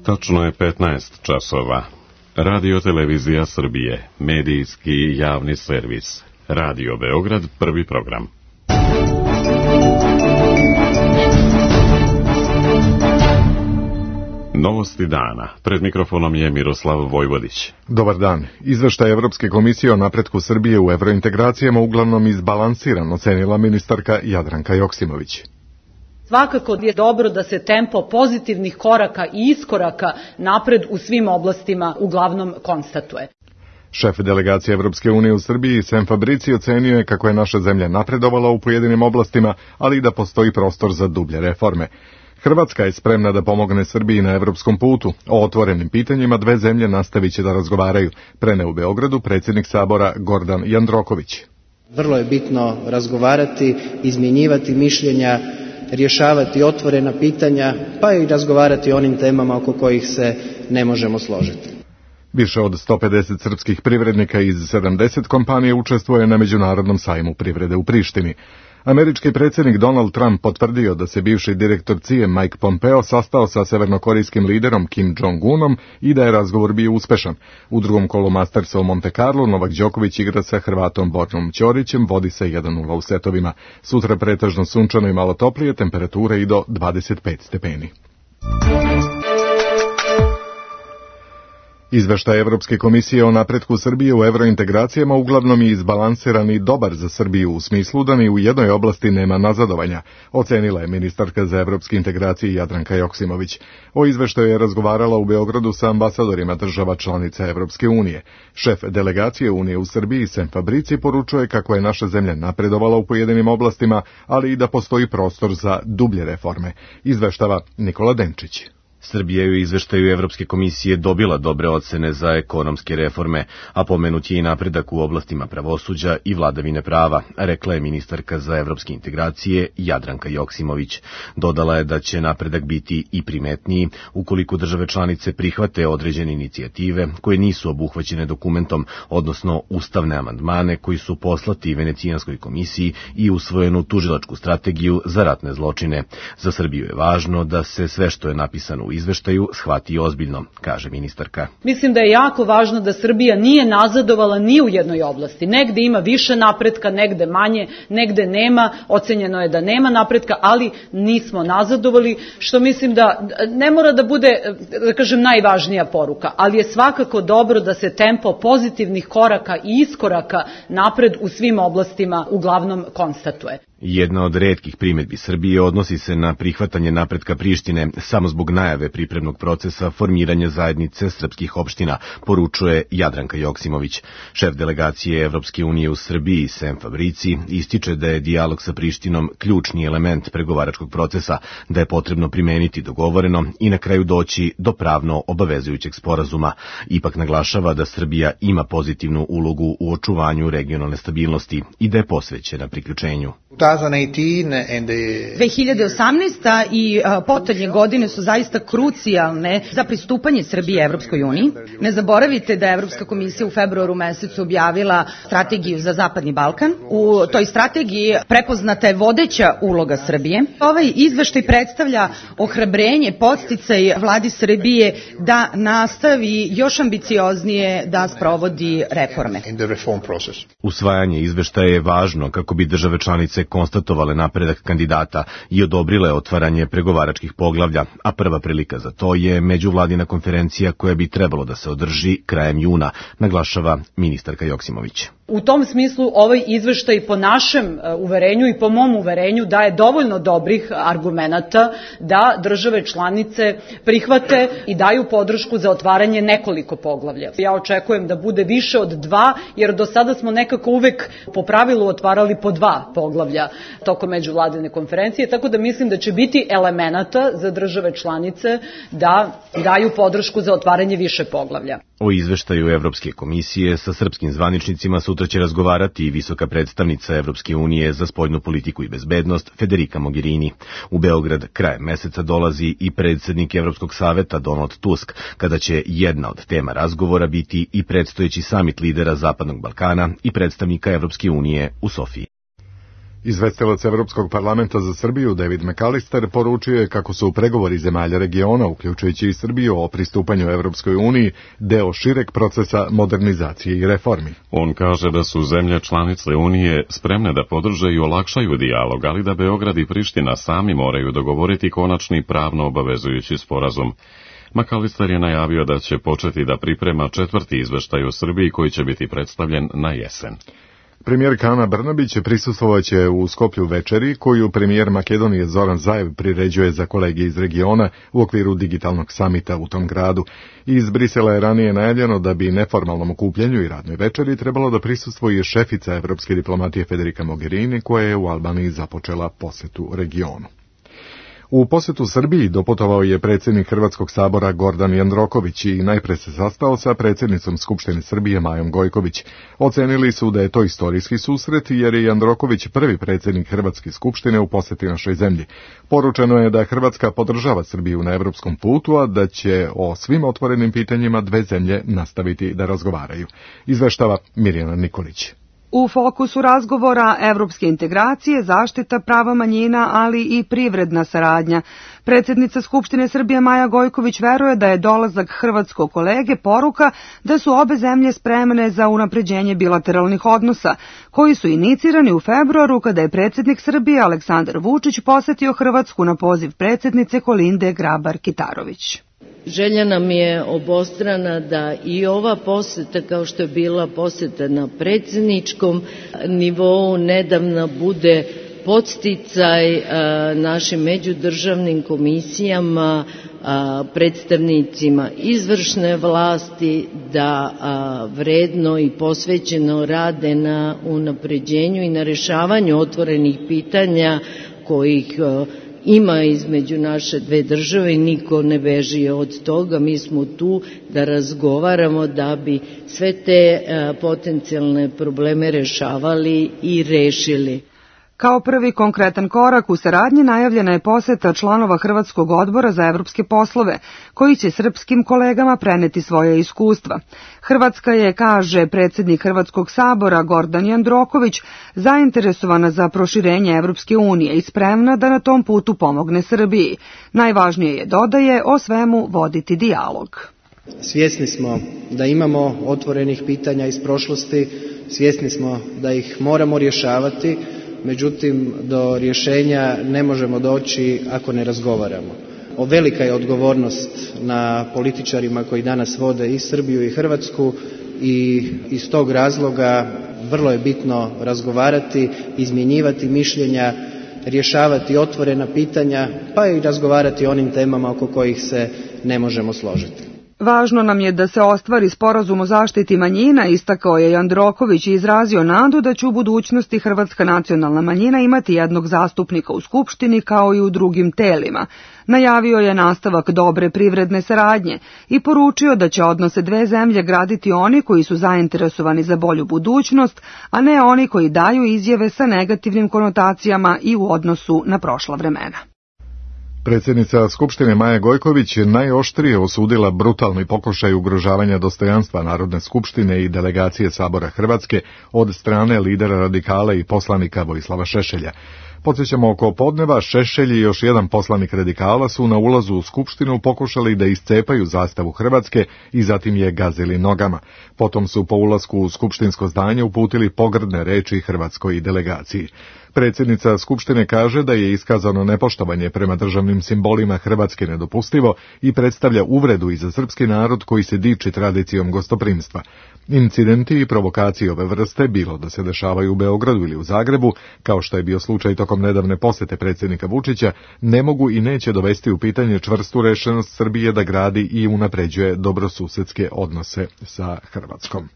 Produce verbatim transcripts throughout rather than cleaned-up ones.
Tačno je petnaest časova. Radio Televizija Srbije, medijski javni servis. Radio Beograd, prvi program. Novosti dana. Pred mikrofonom je Miroslav Vojvodić. Dobar dan. Izveštaj Evropske komisije o napretku Srbije u evrointegracijama uglavnom izbalansiran, ocenila ministarka Jadranka Joksimović. Svakako je dobro da se tempo pozitivnih koraka i iskoraka napred u svim oblastima uglavnom konstatuje. Šef delegacije Evropske unije u Srbiji, Sem Fabrici, ocenio je kako je naša zemlja napredovala u pojedinim oblastima, ali i da postoji prostor za dublje reforme. Hrvatska je spremna da pomogne Srbiji na evropskom putu. O otvorenim pitanjima dve zemlje nastavit će da razgovaraju, preneo u Beogradu predsjednik Sabora Gordan Jandroković. Vrlo je bitno razgovarati, izmjenjivati mišljenja, rješavati otvorena pitanja, pa i razgovarati o onim temama oko kojih se ne možemo složiti. Više od sto pedeset srpskih privrednika iz sedamdeset kompanija učestvuje na Međunarodnom sajmu privrede u Prištini. Američki predsjednik Donald Trump potvrdio da se bivši direktor C I A Mike Pompeo sastao sa severnokorejskim liderom Kim Jong-unom i da je razgovor bio uspešan. U drugom kolu Mastersa u Monte Carlo Novak Đoković igra sa Hrvatom Bornom Ćorićem, vodi se jedan nula u setovima. Sutra pretežno sunčano i malo toplije, temperature i do dvadeset pet stepeni. Izveštaj Evropske komisije o napretku Srbije u evrointegracijama uglavnom je izbalansiran i dobar za Srbiju u smislu da ni u jednoj oblasti nema nazadovanja, ocenila je ministarka za evropske integracije Jadranka Joksimović. O izveštaju je razgovarala u Beogradu sa ambasadorima država članica Evropske unije. Šef delegacije Unije u Srbiji, Sem Fabrici, poručuje kako je naša zemlja napredovala u pojedinim oblastima, ali i da postoji prostor za dublje reforme. Izveštava Nikola Denčić. Srbija je u izveštaju Evropske komisije dobila dobre ocene za ekonomske reforme, a pomenut je i napredak u oblastima pravosuđa i vladavine prava, rekla je ministarka za evropske integracije Jadranka Joksimović. Dodala je da će napredak biti i primetniji ukoliko države članice prihvate određene inicijative koje nisu obuhvaćene dokumentom, odnosno ustavne amandmane koji su poslati Venecijanskoj komisiji i usvojenu tužilačku strategiju za ratne zločine. Za Srbiju je važno da se sve što je napisano u izveštaju shvati ozbiljno, kaže ministarka. Mislim da je jako važno da Srbija nije nazadovala ni u jednoj oblasti. Negde ima više napretka, negde manje, negde nema, ocenjeno je da nema napretka, ali nismo nazadovali, što mislim da ne mora da bude, da kažem, najvažnija poruka, ali je svakako dobro da se tempo pozitivnih koraka i iskoraka napred u svim oblastima uglavnom konstatuje. Jedna od retkih primedbi Srbije odnosi se na prihvatanje napretka Prištine samo zbog najave pripremnog procesa formiranja zajednice srpskih opština, poručuje Jadranka Joksimović. Šef delegacije Evropske unije u Srbiji, Sem Fabrici, ističe da je dijalog sa Prištinom ključni element pregovaračkog procesa, da je potrebno primeniti dogovoreno i na kraju doći do pravno obavezujućeg sporazuma. Ipak naglašava da Srbija ima pozitivnu ulogu u očuvanju regionalne stabilnosti i da je posvećena priključenju. dve hiljade osamnaesta i potonje godine su zaista krucijalne za pristupanje Srbije Evropskoj uniji. Ne zaboravite da je Evropska komisija u februaru mesecu objavila strategiju za Zapadni Balkan. U toj strategiji prepoznata je vodeća uloga Srbije. Ovaj izveštaj predstavlja ohrabrenje, podsticaj vladi Srbije da nastavi još ambicioznije da sprovodi reforme. Usvajanje izveštaja je važno kako bi države članice konstatovale napredak kandidata i odobrile otvaranje pregovaračkih poglavlja, a prva prilika za to je međuvladina konferencija koja bi trebalo da se održi krajem juna, naglašava ministarka Joksimović. U tom smislu ovaj izveštaj po našem uverenju i po mom uverenju daje dovoljno dobrih argumenata da države članice prihvate i daju podršku za otvaranje nekoliko poglavlja. Ja očekujem da bude više od dva, jer do sada smo nekako uvek po pravilu otvarali po dva poglavlja tokom međuvladine konferencije, tako da mislim da će biti elemenata za države članice da daju podršku za otvaranje više poglavlja. O izveštaju Evropske komisije sa srpskim zvaničnicima sutra će razgovarati i visoka predstavnica Evropske unije za spoljnu politiku i bezbednost Federica Mogherini. U Beograd krajem meseca dolazi i predsjednik Evropskog saveta Donald Tusk, kada će jedna od tema razgovora biti i predstojeći samit lidera Zapadnog Balkana i predstavnika Evropske unije u Sofiji. Izvestilac Evropskog parlamenta za Srbiju David McAllister poručio je kako su pregovori zemalja regiona, uključujući i Srbiju o pristupanju Evropskoj uniji, deo šireg procesa modernizacije i reformi. On kaže da su zemlje članice Unije spremne da podrže i olakšaju dijalog, ali da Beograd i Priština sami moraju dogovoriti konačni pravno obavezujući sporazum. McAllister je najavio da će početi da priprema četvrti izveštaj o Srbiji koji će biti predstavljen na jesen. Premijerka Ana Brnabić prisustvovaće u Skoplju večeri koju premijer Makedonije Zoran Zaev priređuje za kolege iz regiona u okviru digitalnog samita u tom gradu. Iz Brisela je ranije najavljeno da bi neformalnom okupljanju i radnoj večeri trebalo da prisustvuje šefica evropske diplomatije Federica Mogherini koja je u Albaniji započela posetu regionu. U posetu Srbiji doputovao je predsjednik Hrvatskog sabora Gordan Jandroković i najpre se sastao sa predsjednicom Skupštine Srbije Majom Gojković. Ocenili su da je to istorijski susret jer je Jandroković prvi predsjednik Hrvatske skupštine u poseti našoj zemlji. Poručeno je da Hrvatska podržava Srbiju na evropskom putu, a da će o svim otvorenim pitanjima dve zemlje nastaviti da razgovaraju. Izveštava Mirjana Nikolić. U fokusu razgovora evropske integracije, zaštita prava manjina, ali i privredna saradnja. Predsjednica Skupštine Srbije Maja Gojković veruje da je dolazak hrvatskog kolege poruka da su obe zemlje spremne za unapređenje bilateralnih odnosa, koji su inicirani u februaru kada je predsjednik Srbije Aleksandar Vučić posetio Hrvatsku na poziv predsjednice Kolinde Grabar-Kitarović. Želja nam je obostrana da i ova poseta, kao što je bila poseta na predsjedničkom nivou, nedavno bude podsticaj našim međudržavnim komisijama, predstavnicima izvršne vlasti da vredno i posvećeno rade na unapređenju i na rešavanju otvorenih pitanja kojih ima između naše dve države i niko ne beži od toga. Mi smo tu da razgovaramo da bi sve te potencijalne probleme rešavali i rešili. Kao prvi konkretan korak u saradnji najavljena je poseta članova Hrvatskog odbora za evropske poslove, koji će srpskim kolegama preneti svoje iskustva. Hrvatska je, kaže predsjednik Hrvatskog sabora Gordan Jandroković, zainteresovana za proširenje Evropske unije i spremna da na tom putu pomogne Srbiji. Najvažnije je, dodaje, o svemu voditi dijalog. Svjesni smo da imamo otvorenih pitanja iz prošlosti, svjesni smo da ih moramo rješavati, međutim do rješenja ne možemo doći ako ne razgovaramo. O velika je odgovornost na političarima koji danas vode i Srbiju i Hrvatsku i iz tog razloga vrlo je bitno razgovarati, izmjenjivati mišljenja, rješavati otvorena pitanja, pa i razgovarati o onim temama oko kojih se ne možemo složiti. Važno nam je da se ostvari sporazum o zaštiti manjina, istakao je Jandroković i izrazio nadu da će u budućnosti hrvatska nacionalna manjina imati jednog zastupnika u Skupštini kao i u drugim telima. Najavio je nastavak dobre privredne saradnje i poručio da će odnose dve zemlje graditi oni koji su zainteresovani za bolju budućnost, a ne oni koji daju izjave sa negativnim konotacijama i u odnosu na prošla vremena. Predsjednica Skupštine Maja Gojković najoštrije osudila brutalni pokušaj ugrožavanja dostojanstva Narodne skupštine i delegacije Sabora Hrvatske od strane lidera radikala i poslanika Vojislava Šešelja. Podsjećamo, oko podneva Šešelj i još jedan poslanik radikala su na ulazu u Skupštinu pokušali da iscepaju zastavu Hrvatske i zatim je gazili nogama. Potom su po ulasku u skupštinsko zdanje uputili pogrdne reči hrvatskoj delegaciji. Predsjednica Skupštine kaže da je iskazano nepoštovanje prema državnim simbolima Hrvatske nedopustivo i predstavlja uvredu i za srpski narod koji se diči tradicijom gostoprimstva. Incidenti i provokacije ove vrste, bilo da se dešavaju u Beogradu ili u Zagrebu, kao što je bio slučaj tokom nedavne posete predsjednika Vučića, ne mogu i neće dovesti u pitanje čvrstu rešenost Srbije da gradi i unapređuje dobrosusedske odnose sa Hrvatskom.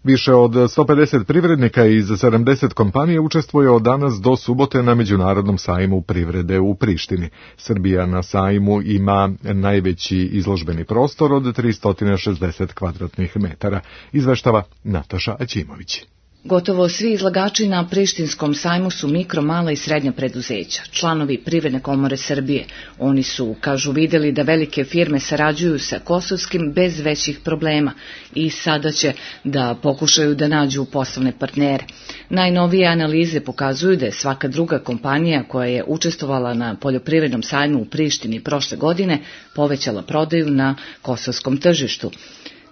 Više od sto pedeset privrednika iz sedamdeset kompanija učestvuje od danas do subote na Međunarodnom sajmu privrede u Prištini. Srbija na sajmu ima najveći izložbeni prostor od tristo šezdeset kvadratnih metara, izveštava Nataša Aćimović. Gotovo svi izlagači na Prištinskom sajmu su mikro, mala i srednja preduzeća, članovi Privredne komore Srbije. Oni su, kažu, videli da velike firme sarađuju sa kosovskim bez većih problema i sada će da pokušaju da nađu poslovne partnere. Najnovije analize pokazuju da je svaka druga kompanija koja je učestvovala na poljoprivrednom sajmu u Prištini prošle godine povećala prodaju na kosovskom tržištu.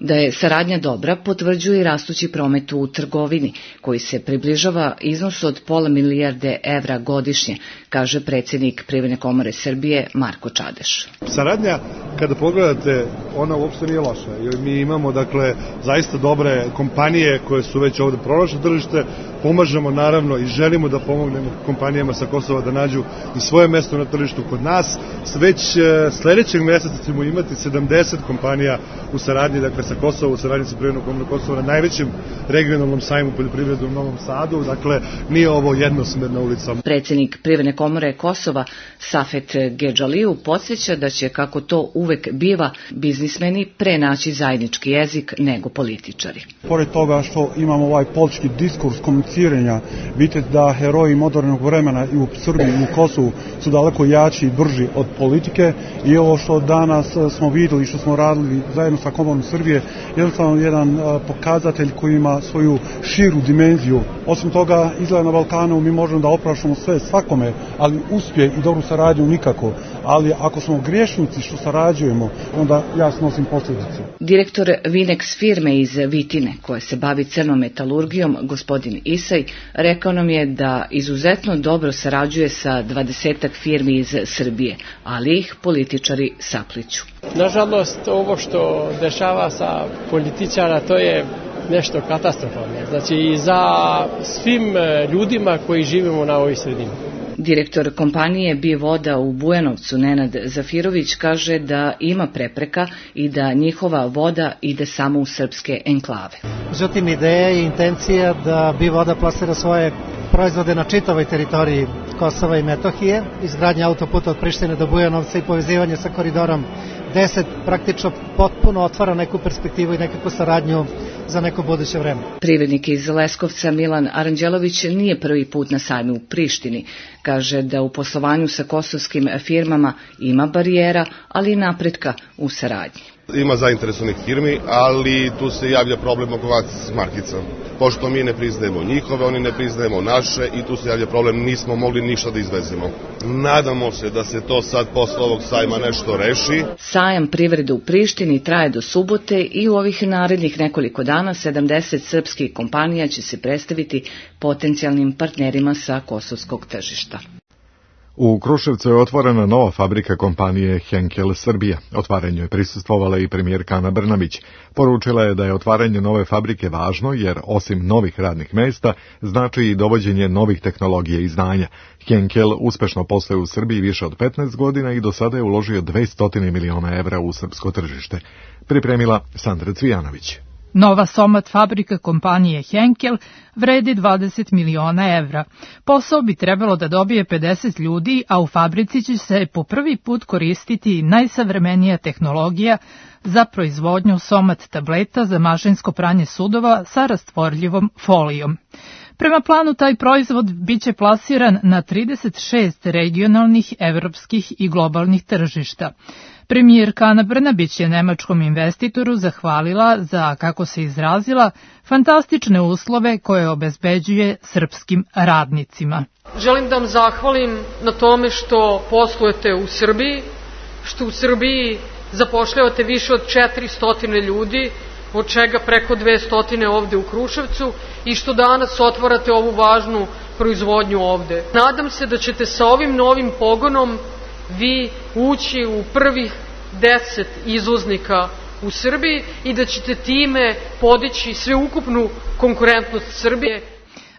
Da je saradnja dobra potvrđuje i rastući promet u trgovini, koji se približava iznosu od pola milijarde evra godišnje, kaže predsjednik Privredne komore Srbije Marko Čadeš. Saradnja, kada pogledate, ona uopšte nije loša, jer mi imamo, dakle, zaista dobre kompanije koje su već ovde pronašle tržište, pomažemo naravno i želimo da pomognemo kompanijama sa Kosova da nađu i svoje mesto na tržištu kod nas. Već sledećeg meseca ćemo imati sedamdeset kompanija u saradnji, dakle, sa Kosova, u saradnji sa Privrednom komorom Kosova na najvećem regionalnom sajmu poljoprivrede u Novom Sadu, dakle, nije ovo jednosmerna ulica. Predsjednik Privredne komore Kosova Safet Gedžaliju podsjeća da će, kako to uvek biva, biznismeni pre naći zajednički jezik nego političari. Pored toga što imamo ovaj politički diskurs komuniciranja, vidite da heroji modernog vremena i u Srbiji i u Kosovu su daleko jači i brži od politike i ovo što danas smo videli, što smo radili zajedno sa Komorom Srbije, jednostavno jedan pokazatelj koji ima svoju širu dimenziju. Osim toga, izgleda na Balkanu mi možemo da oprašamo sve svakome, ali uspjeh i dobru saradnju nikako. Ali ako smo griješnici što sarađujemo, onda ja snosim posljedice. Direktor Vinex firme iz Vitine, koja se bavi crnom metalurgijom, gospodin Isaj, rekao nam je da izuzetno dobro sarađuje sa dvadesetak firmi iz Srbije, ali ih političari sapliću. Nažalost, ovo što dešava sa političara, to je nešto katastrofalno. Znači i za svim ljudima koji živimo na ovoj sredini. Direktor kompanije Bivoda u Bujanovcu Nenad Zafirović kaže da ima prepreka i da njihova voda ide samo u srpske enklave. Međutim, ideja i intencija da Bivoda plasira svoje proizvode na čitavoj teritoriji Kosova i Metohije, izgradnja autoputa od Prištine do Bujanovca i povezivanje sa koridorom deset praktično potpuno otvara neku perspektivu i nekakvu saradnju za neko buduće vreme. Privrednik iz Leskovca Milan Aranđelović nije prvi put na sajmu u Prištini. Kaže da u poslovanju sa kosovskim firmama ima barijera, ali i napretka u saradnji. Ima zainteresovanih firmi, ali tu se javlja problem oko akcijskih markica. Pošto mi ne priznajemo njihove, oni ne priznajemo naše i tu se javlja problem, nismo mogli ništa da izvezemo. Nadamo se da se to sad posle ovog sajma nešto reši. Sajam privrede u Prištini traje do subote i u ovih narednih nekoliko dana sedamdeset srpskih kompanija će se predstaviti potencijalnim partnerima sa kosovskog tržišta. U Kruševcu je otvorena nova fabrika kompanije Henkel Srbija. Otvaranju je prisustvovala i premijerka Ana Brnabić. Poručila je da je otvaranje nove fabrike važno jer osim novih radnih mesta znači i dovođenje novih tehnologija i znanja. Henkel uspešno posluje u Srbiji više od petnaest godina i do sada je uložio dvesta miliona evra u srpsko tržište. Pripremila Sandra Cvijanović. Nova somat fabrika kompanije Henkel vredi dvadeset miliona evra. Posao bi trebalo da dobije pedeset ljudi, a u fabrici će se po prvi put koristiti najsavremenija tehnologija za proizvodnju somat tableta za mašinsko pranje sudova sa rastvorljivom folijom. Prema planu, taj proizvod biće plasiran na trideset šest regionalnih, evropskih i globalnih tržišta. Premijerka Ana Brnabić je nemačkom investitoru zahvalila za, kako se izrazila, fantastične uslove koje obezbeđuje srpskim radnicima. Želim da vam zahvalim na tome što poslujete u Srbiji, što u Srbiji zapošljavate više od četiristo ljudi, od čega preko dvesta ovde u Kruševcu i što danas otvarate ovu važnu proizvodnju ovde. Nadam se da ćete sa ovim novim pogonom vi ući u prvih deset izvoznika u Srbiji i da ćete time podići sveukupnu konkurentnost Srbije.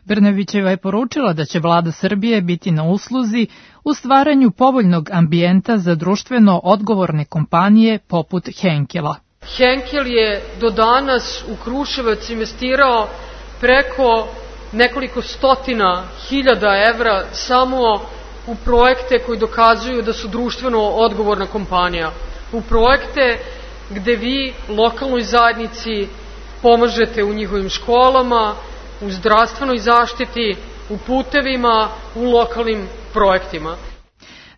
Brnabićeva je poručila da će vlada Srbije biti na usluzi u stvaranju povoljnog ambijenta za društveno odgovorne kompanije poput Henkela. Henkel je do danas u Kruševac investirao preko nekoliko stotina hiljada evra samo u projekte koji dokazuju da su društveno odgovorna kompanija. U projekte gde vi lokalnoj zajednici pomažete u njihovim školama, u zdravstvenoj zaštiti, u putevima, u lokalnim projektima.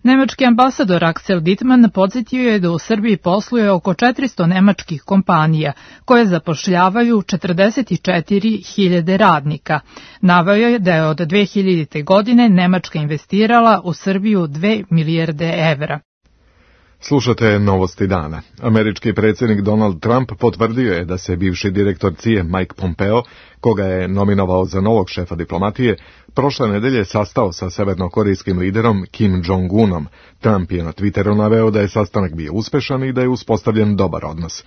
Nemački ambasador Axel Dittmann podsjetio je da u Srbiji posluje oko četiristo nemačkih kompanija koje zapošljavaju četrdeset četiri hiljade radnika. Naveo je da je od dve hiljadite. godine Nemačka investirala u Srbiju dve milijarde evra. Slušate Novosti dana. Američki predsjednik Donald Trump potvrdio je da se bivši direktor C I A Mike Pompeo, koga je nominovao za novog šefa diplomatije, prošle nedelje sastao sa severnokorejskim liderom Kim Jong-unom. Trump je na Twitteru naveo da je sastanak bio uspešan i da je uspostavljen dobar odnos.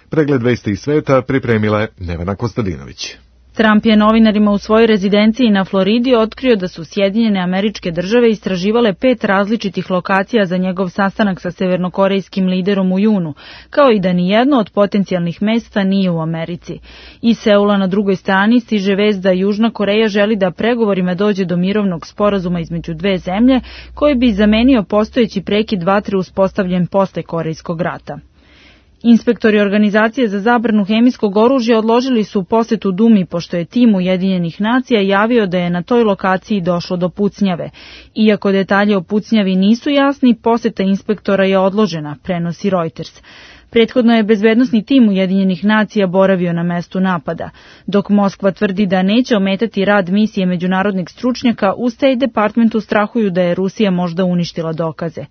Pregled vesti iz sveta pripremila je Nevena Kostadinović. Trump je novinarima u svojoj rezidenciji na Floridi otkrio da su Sjedinjene Američke Države istraživale pet različitih lokacija za njegov sastanak sa severnokorejskim liderom u junu, kao i da nijedno od potencijalnih mesta nije u Americi. Iz Seula na drugoj strani stiže vest da Južna Koreja želi da pregovorima dođe do mirovnog sporazuma između dve zemlje, koji bi zamenio postojeći prekid vatre uspostavljen posle Korejskog rata. Inspektori Organizacije za zabranu hemijskog oružja odložili su posetu Dumi pošto je tim Ujedinjenih nacija javio da je na toj lokaciji došlo do pucnjave. Iako detalje o pucnjavi nisu jasni, poseta inspektora je odložena, prenosi Reuters. Prethodno je bezbednosni tim Ujedinjenih nacija boravio na mestu napada. Dok Moskva tvrdi da neće ometati rad misije međunarodnih stručnjaka, u State Departmentu strahuju da je Rusija možda uništila dokaze.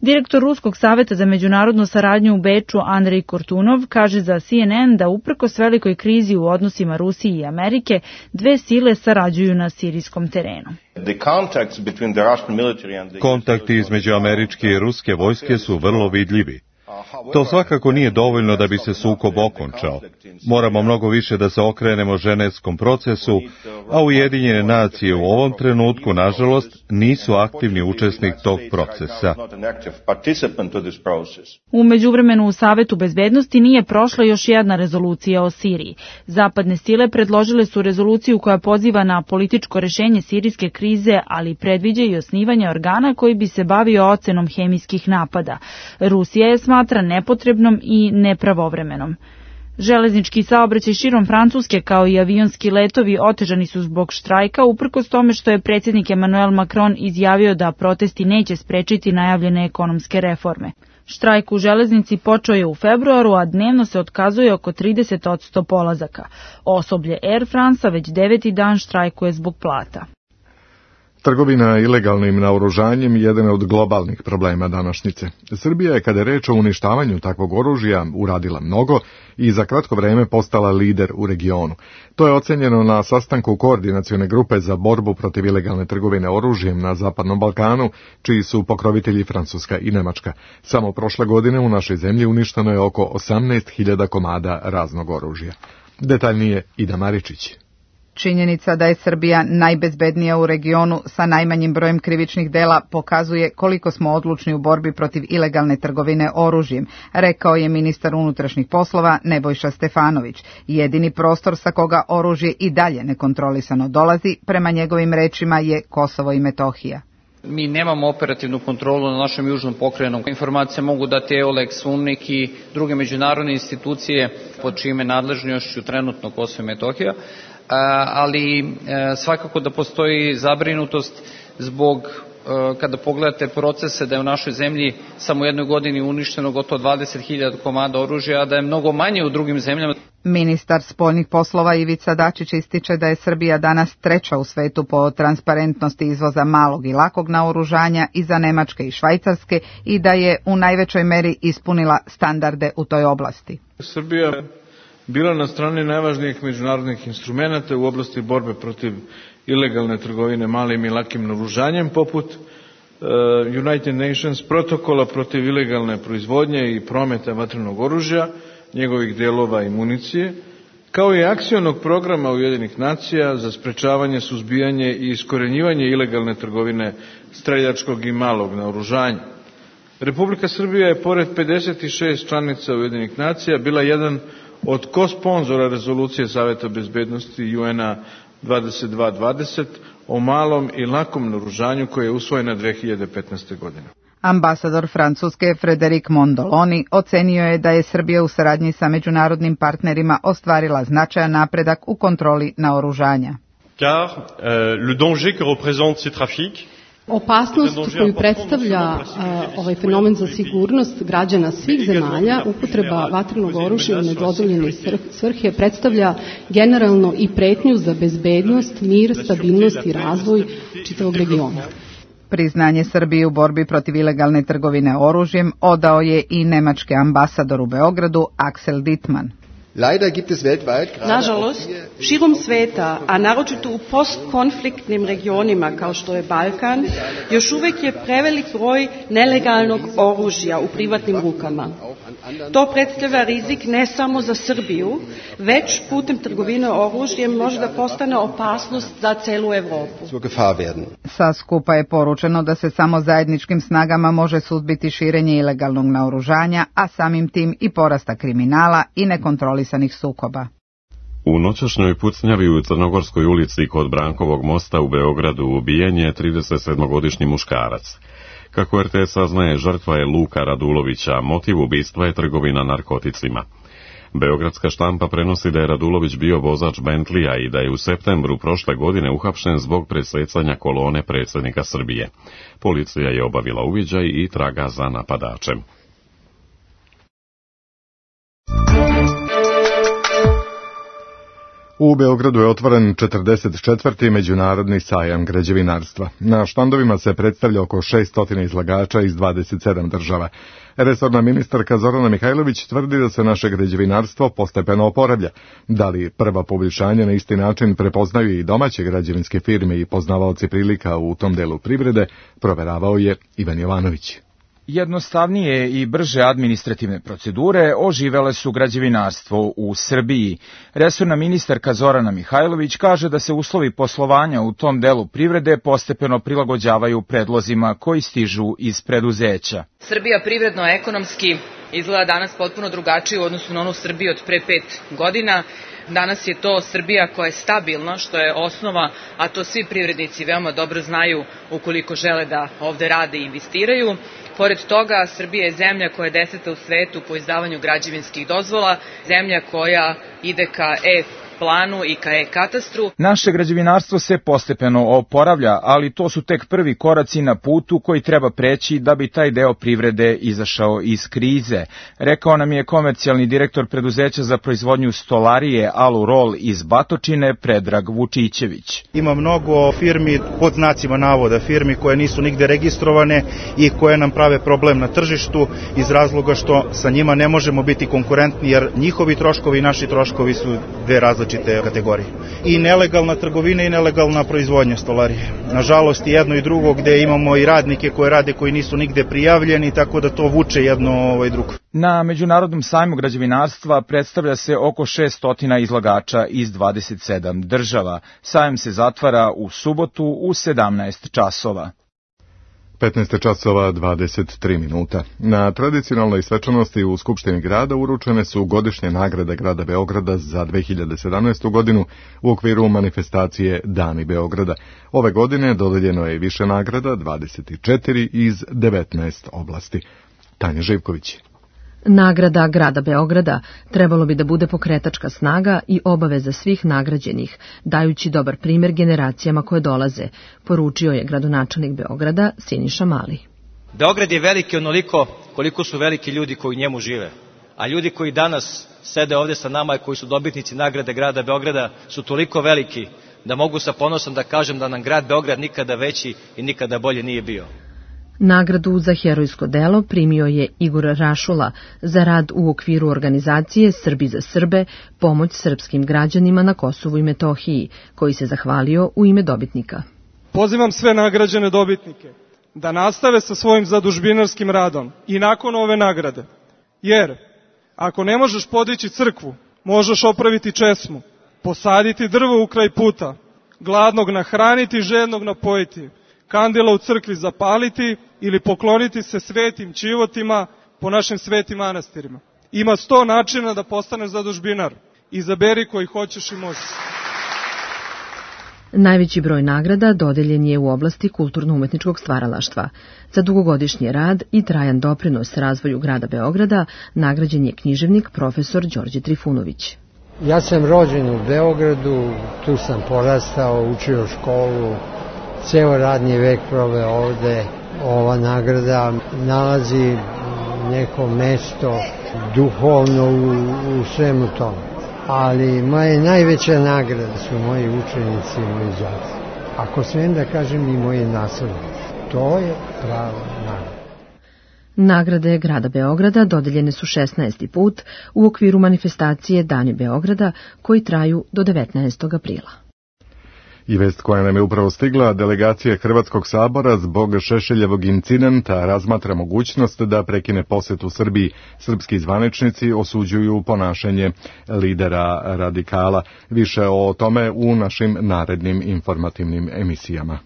Direktor Ruskog saveta za međunarodnu saradnju u Beču Andrej Kortunov kaže za C N N da uprkos velikoj krizi u odnosima Rusije i Amerike, dve sile sarađuju na sirijskom terenu. Kontakti između američke i ruske vojske su vrlo vidljivi. To svakako nije dovoljno da bi se sukob okončao. Moramo mnogo više da se okrenemo ženevskom procesu, a Ujedinjene nacije u ovom trenutku, nažalost, nisu aktivni učesnik tog procesa. U međuvremenu u Savetu bezbednosti nije prošla još jedna rezolucija o Siriji. Zapadne sile predložile su rezoluciju koja poziva na političko rešenje sirijske krize, ali predviđa i osnivanje organa koji bi se bavio ocenom hemijskih napada. Rusija je smatra nepotrebnom i nepravovremenom. Železnički saobraćaj širom Francuske kao i avionski letovi otežani su zbog štrajka, uprkos tome što je predsjednik Emmanuel Macron izjavio da protesti neće sprečiti najavljene ekonomske reforme. Štrajk u železnici počeo je u februaru, a dnevno se otkazuje oko trideset posto polazaka. Osoblje Air France već deveti dan štrajkuje zbog plata. Trgovina ilegalnim naoružanjem jedan je od globalnih problema današnjice. Srbija je, kada je reč o uništavanju takvog oružja, uradila mnogo i za kratko vreme postala lider u regionu. To je ocenjeno na sastanku koordinacione grupe za borbu protiv ilegalne trgovine oružjem na Zapadnom Balkanu, čiji su pokrovitelji Francuska i Nemačka. Samo prošle godine u našoj zemlji uništeno je oko osamnaest hiljada komada raznog oružja. Detaljnije Ida Maričić. Činjenica da je Srbija najbezbednija u regionu sa najmanjim brojem krivičnih dela pokazuje koliko smo odlučni u borbi protiv ilegalne trgovine oružjem, rekao je ministar unutrašnjih poslova Nebojša Stefanović. Jedini prostor sa koga oružje i dalje nekontrolisano dolazi, prema njegovim rečima, je Kosovo i Metohija. Mi nemamo operativnu kontrolu na našem južnom pokrajinu. Informacije mogu dati EOLEX, UNMIK i druge međunarodne institucije pod čime nadležnošću trenutno Kosovo i Metohija, ali svakako da postoji zabrinutost zbog, kada pogledate procese, da je u našoj zemlji samo u jednoj godini uništeno gotovo dvadeset hiljada komada oružja, a da je mnogo manje u drugim zemljama. Ministar spoljnih poslova Ivica Dačić ističe da je Srbija danas treća u svetu po transparentnosti izvoza malog i lakog naoružanja iza Nemačke i Švajcarske i da je u najvećoj meri ispunila standarde u toj oblasti. Srbija bila na strani najvažnijih međunarodnih instrumenata u oblasti borbe protiv ilegalne trgovine malim i lakim naoružanjem, poput uh, United Nations protokola protiv ilegalne proizvodnje i prometa vatrenog oružja, njegovih delova i municije, kao i akcionog programa Ujedinjenih nacija za sprečavanje, suzbijanje i iskorenjivanje ilegalne trgovine streljačkog i malog naoružanja. Republika Srbija je, pored pedeset šest članica Ujedinjenih nacija, bila jedan od kosponzora rezolucije Saveta bezbednosti U N-a dvadeset dva dvadeset o malom i lakom naoružanju koja je usvojena dve hiljade petnaeste. godine. Ambasador Francuske Frédéric Mondoloni ocenio je da je Srbija u saradnji sa međunarodnim partnerima ostvarila značajan napredak u kontroli naoružanja. car euh, le danger que représentent ces trafics. Opasnost koju predstavlja uh, ovaj fenomen za sigurnost građana svih zemalja, upotreba vatrenog oružja u nedozvoljene svrhe predstavlja generalno i pretnju za bezbednost, mir, stabilnost i razvoj čitavog regiona. Priznanje Srbije u borbi protiv ilegalne trgovine oružjem odao je i nemački ambasador u Beogradu Axel Dittmann. Nažalost, širom sveta, a naročito u postkonfliktnim regionima kao što je Balkan, još uvek je prevelik broj nelegalnog oružja u privatnim rukama. To predstavlja rizik ne samo za Srbiju, već putem trgovine oružjem može da postane opasnost za celu Evropu. Sa skupa je poručeno da se samo zajedničkim snagama može suzbiti širenje ilegalnog naoružanja, a samim tim i porasta kriminala i nekontrolisanih sukoba. U noćašnjoj pucnjavi u Crnogorskoj ulici kod Brankovog mosta u Beogradu ubijen je tridesetsedmogodišnji muškarac. Kako er te es saznaje, žrtva je Luka Radulovića, motiv ubistva je trgovina narkoticima. Beogradska štampa prenosi da je Radulović bio vozač Bentleya i da je u septembru prošle godine uhapšen zbog presecanja kolone predsjednika Srbije. Policija je obavila uviđaj i traga za napadačem. U Beogradu je otvoren četrdeset četvrti međunarodni sajam građevinarstva. Na štandovima se predstavlja oko šesto izlagača iz dvadeset sedam država. Resorna ministarka Zorana Mihajlović tvrdi da se naše građevinarstvo postepeno oporavlja. Da li prva poboljšanja na isti način prepoznaju i domaće građevinske firme i poznavaoci prilika u tom delu privrede, proveravao je Ivan Jovanović. Jednostavnije i brže administrativne procedure oživele su građevinarstvo u Srbiji. Resorna ministarka Zorana Mihajlović kaže da se uslovi poslovanja u tom delu privrede postepeno prilagođavaju predlozima koji stižu iz preduzeća. Srbija privredno-ekonomski izgleda danas potpuno drugačije u odnosu na onu Srbiju od pre pet godina. Danas je to Srbija koja je stabilna, što je osnova, a to svi privrednici veoma dobro znaju ukoliko žele da ovde rade i investiraju. Pored toga, Srbija je zemlja koja je deseta u svetu po izdavanju građevinskih dozvola, zemlja koja ide ka E planu i ka e-katastru. Naše građevinarstvo se postepeno oporavlja, ali to su tek prvi koraci na putu koji treba preći da bi taj deo privrede izašao iz krize, rekao nam je komercijalni direktor preduzeća za proizvodnju stolarije Alurol iz Batočine, Predrag Vučićević. Ima mnogo firmi, pod znacima navoda, firmi koje nisu nigde registrovane i koje nam prave problem na tržištu iz razloga što sa njima ne možemo biti konkurentni jer njihovi troškovi i naši troškovi su dve različite kategorije. I nelegalna trgovina i nelegalna proizvodnja stolarije. Nažalost, jedno i drugo gde imamo i radnike koje rade koji nisu nigde prijavljeni, tako da to vuče jedno ovaj drugo. Na Međunarodnom sajmu građevinarstva predstavlja se oko šesto izlagača iz dvadeset sedam država. Sajam se zatvara u subotu u sedamnaest časova. petnaest časova dvadeset tri minuta. Na tradicionalnoj svečanosti u Skupštini grada uručene su godišnje nagrade grada Beograda za dve hiljade sedamnaestu. godinu u okviru manifestacije Dani Beograda. Ove godine dodeljeno je više nagrada, dvadeset četiri iz devetnaest oblasti. Tanja Živković. Nagrada grada Beograda trebalo bi da bude pokretačka snaga i obaveza svih nagrađenih, dajući dobar primjer generacijama koje dolaze, poručio je gradonačelnik Beograda Siniša Mali. Beograd je veliki onoliko koliko su veliki ljudi koji u njemu žive, a ljudi koji danas sede ovde sa nama i koji su dobitnici nagrade grada Beograda su toliko veliki da mogu sa ponosom da kažem da nam grad Beograd nikada veći i nikada bolje nije bio. Nagradu za herojsko delo primio je Igor Rašula za rad u okviru organizacije Srbi za Srbe, pomoć srpskim građanima na Kosovu i Metohiji, koji se zahvalio u ime dobitnika. Pozivam sve nagrađene dobitnike da nastave sa svojim zadužbinarskim radom i nakon ove nagrade, jer ako ne možeš podići crkvu, možeš opraviti česmu, posaditi drvo u kraj puta, gladnog nahraniti, žednog napojiti, kandila u crkvi zapaliti ili pokloniti se svetim čivotima po našim svetim manastirima. Ima sto načina da postaneš zadužbinar. Izaberi koji hoćeš i možeš. Najveći broj nagrada dodeljen je u oblasti kulturno-umetničkog stvaralaštva. Za dugogodišnji rad i trajan doprinos razvoju grada Beograda nagrađen je književnik profesor Đorđe Trifunović. Ja sam rođen u Beogradu, tu sam porastao, učio školu, ceo radni vek proveo ovde. Ova nagrada nalazi neko mesto duhovno u, u svemu tomu. Ali moja najveća nagrada su moji učenici i moji đaci. Ako smijem da kažem i moji naslednici. To je prava nagrada. Nagrade grada Beograda dodeljene su šesnaesti put u okviru manifestacije Dani Beograda koji traju do devetnaestog aprila. I vest koja nam je upravo stigla, delegacija Hrvatskog sabora zbog Šešeljevog incidenta razmatra mogućnost da prekine posjet u Srbiji. Srpski zvaničnici osuđuju ponašanje lidera radikala. Više o tome u našim narednim informativnim emisijama.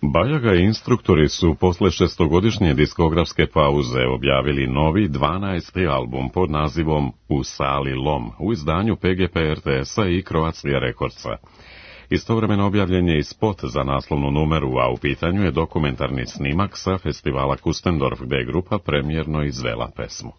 Bajaga i instruktori su posle šestogodišnje diskografske pauze objavili novi dvanaesti album pod nazivom U sali lom u izdanju P G P R T S-a i Croatia Recordsa. Istovremeno objavljen je i spot za naslovnu numeru, a u pitanju je dokumentarni snimak sa festivala Kustendorf, gde je grupa premijerno izvela pesmu.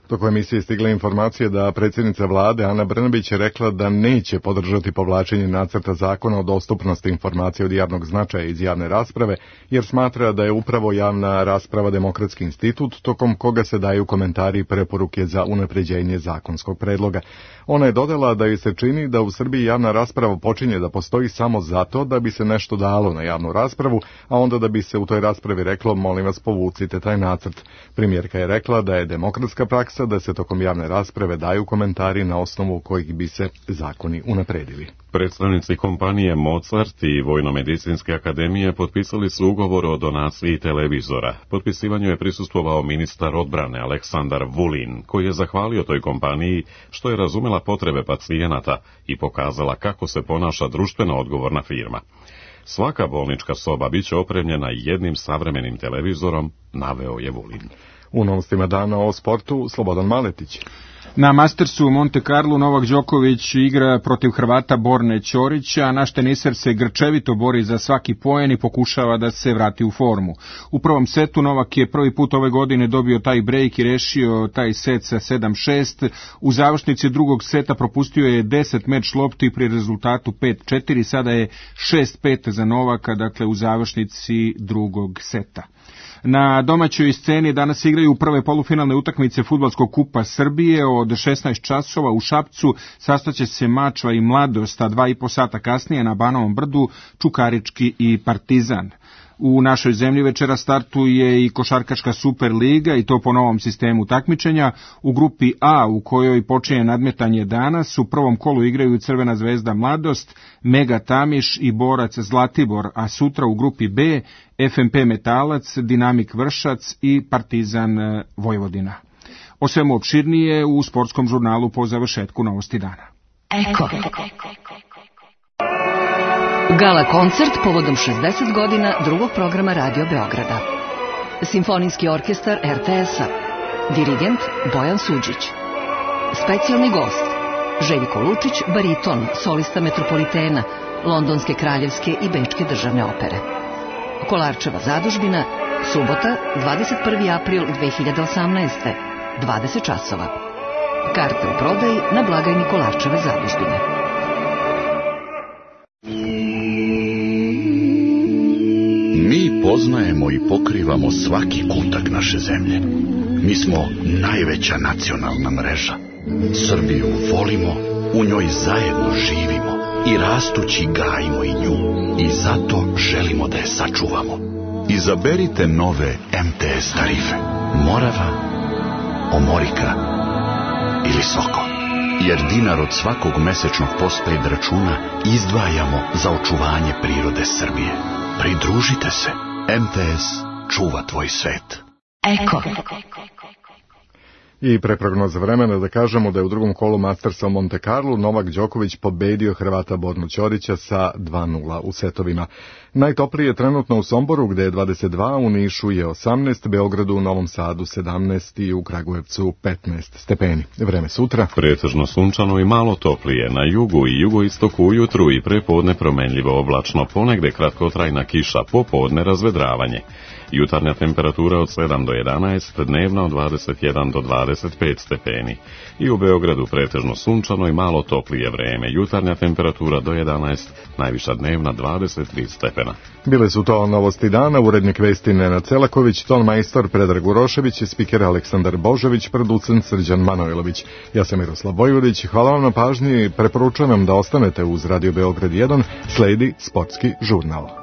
Toko emisije stigle informacije da predsjednica vlade Ana Brnabić je rekla da neće podržati povlačenje nacrta zakona o dostupnosti informacija od javnog značaja iz javne rasprave, jer smatra da je upravo javna rasprava demokratski institut tokom koga se daju komentari i preporuke za unapređenje zakonskog predloga. Ona je dodala da joj se čini da u Srbiji javna rasprava počinje da postoji samo zato da bi se nešto dalo na javnu raspravu, a onda da bi se u toj raspravi reklo molim vas povucite taj nacrt. Premijerka je rekla da je demokratska praksa da se tokom javne rasprave daju komentari na osnovu kojih bi se zakoni unapredili. Predstavnici kompanije Mozart i Vojnomedicinske akademije potpisali su ugovor o donaciji televizora. Potpisivanju je prisustvovao ministar odbrane Aleksandar Vulin, koji je zahvalio toj kompaniji što je razumela potrebe pacijenata i pokazala kako se ponaša društveno odgovorna firma. Svaka bolnička soba biće opremljena jednim savremenim televizorom, naveo je Vulin. U novostima dana o sportu, Slobodan Maletić. Na Mastersu u Monte Carlo Novak Đoković igra protiv Hrvata Borne Ćorića, a naš teniser se grčevito bori za svaki poen i pokušava da se vrati u formu. U prvom setu Novak je prvi put ove godine dobio taj break i rešio taj set sa sedam šest. U završnici drugog seta propustio je deset meč lopti pri rezultatu pet četiri, sada je šest pet za Novaka, dakle u završnici drugog seta. Na domaćoj sceni danas igraju prve polufinalne utakmice Fudbalskog kupa Srbije. Od šesnaest časova u Šapcu sastaće se Mačva i Mladost, a dva i po sata kasnije na Banovom Brdu Čukarički i Partizan. U našoj zemlji večera startuje i košarkaška Superliga i to po novom sistemu takmičenja. U grupi A, u kojoj počinje nadmetanje danas, u prvom kolu igraju Crvena zvezda Mladost, Mega Tamiš i Borac Zlatibor, a sutra u grupi B F M P Metalac, Dinamik Vršac i Partizan Vojvodina. O svemu opširnije u sportskom žurnalu po završetku novosti dana. Eko. Gala koncert povodom šezdeset godina drugog programa Radio Beograda. Simfonijski orkestar R T S-a. Dirigent Bojan Suđić. Specijalni gost Željko Lučić, bariton, solista Metropolitena, Londonske kraljevske i Bečke državne opere. Kolarčeva zadužbina, subota, dvadeset prvi april dve hiljade osamnaeste, dvadeset časova. Karte u prodaji na blagajni Kolarčeve zadužbine. Mi poznajemo i pokrivamo svaki kutak naše zemlje. Mi smo najveća nacionalna mreža. Srbiju volimo, u njoj zajedno živimo i rastući gajimo i nju. I zato želimo da je sačuvamo. Izaberite nove M T S tarife. Morava, Omorika ili Soko. Jer dinar od svakog mesečnog postpaid računa izdvajamo za očuvanje prirode Srbije. Pridružite se. M T S čuva tvoj svet. Eko. I pre prognoza vremena da kažemo da je u drugom kolu Mastersa u Monte Carlo Novak Đoković pobedio Hrvata Bornu Ćorića sa dva nula u setovima. Najtoplije je trenutno u Somboru gde je dvadeset dva, u Nišu je osamnaest, Beogradu, u Novom Sadu sedamnaest i u Kragujevcu petnaest stepeni. Vreme sutra. Pretežno sunčano i malo toplije. Na jugu i jugoistoku ujutru i prepodne promenljivo oblačno, ponegde kratkotrajna kiša, popodne razvedravanje. Jutarnja temperatura od sedam do jedanaest, dnevna od dvadeset jedan do dvadeset pet stepeni. I u Beogradu pretežno sunčano i malo toplije vreme. Jutarnja temperatura do jedanaest, najviša dnevna dvadeset tri stepena. Bile su to novosti dana, urednik vesti Nenad Celaković, ton majstor Predrag Urošević i spiker Aleksandar Božović, producent Srđan Manojlović. Ja sam Miroslav Vojvodić, hvala vam na pažnji, preporučujem vam da ostanete uz Radio Beograd jedan, sledi sportski žurnal.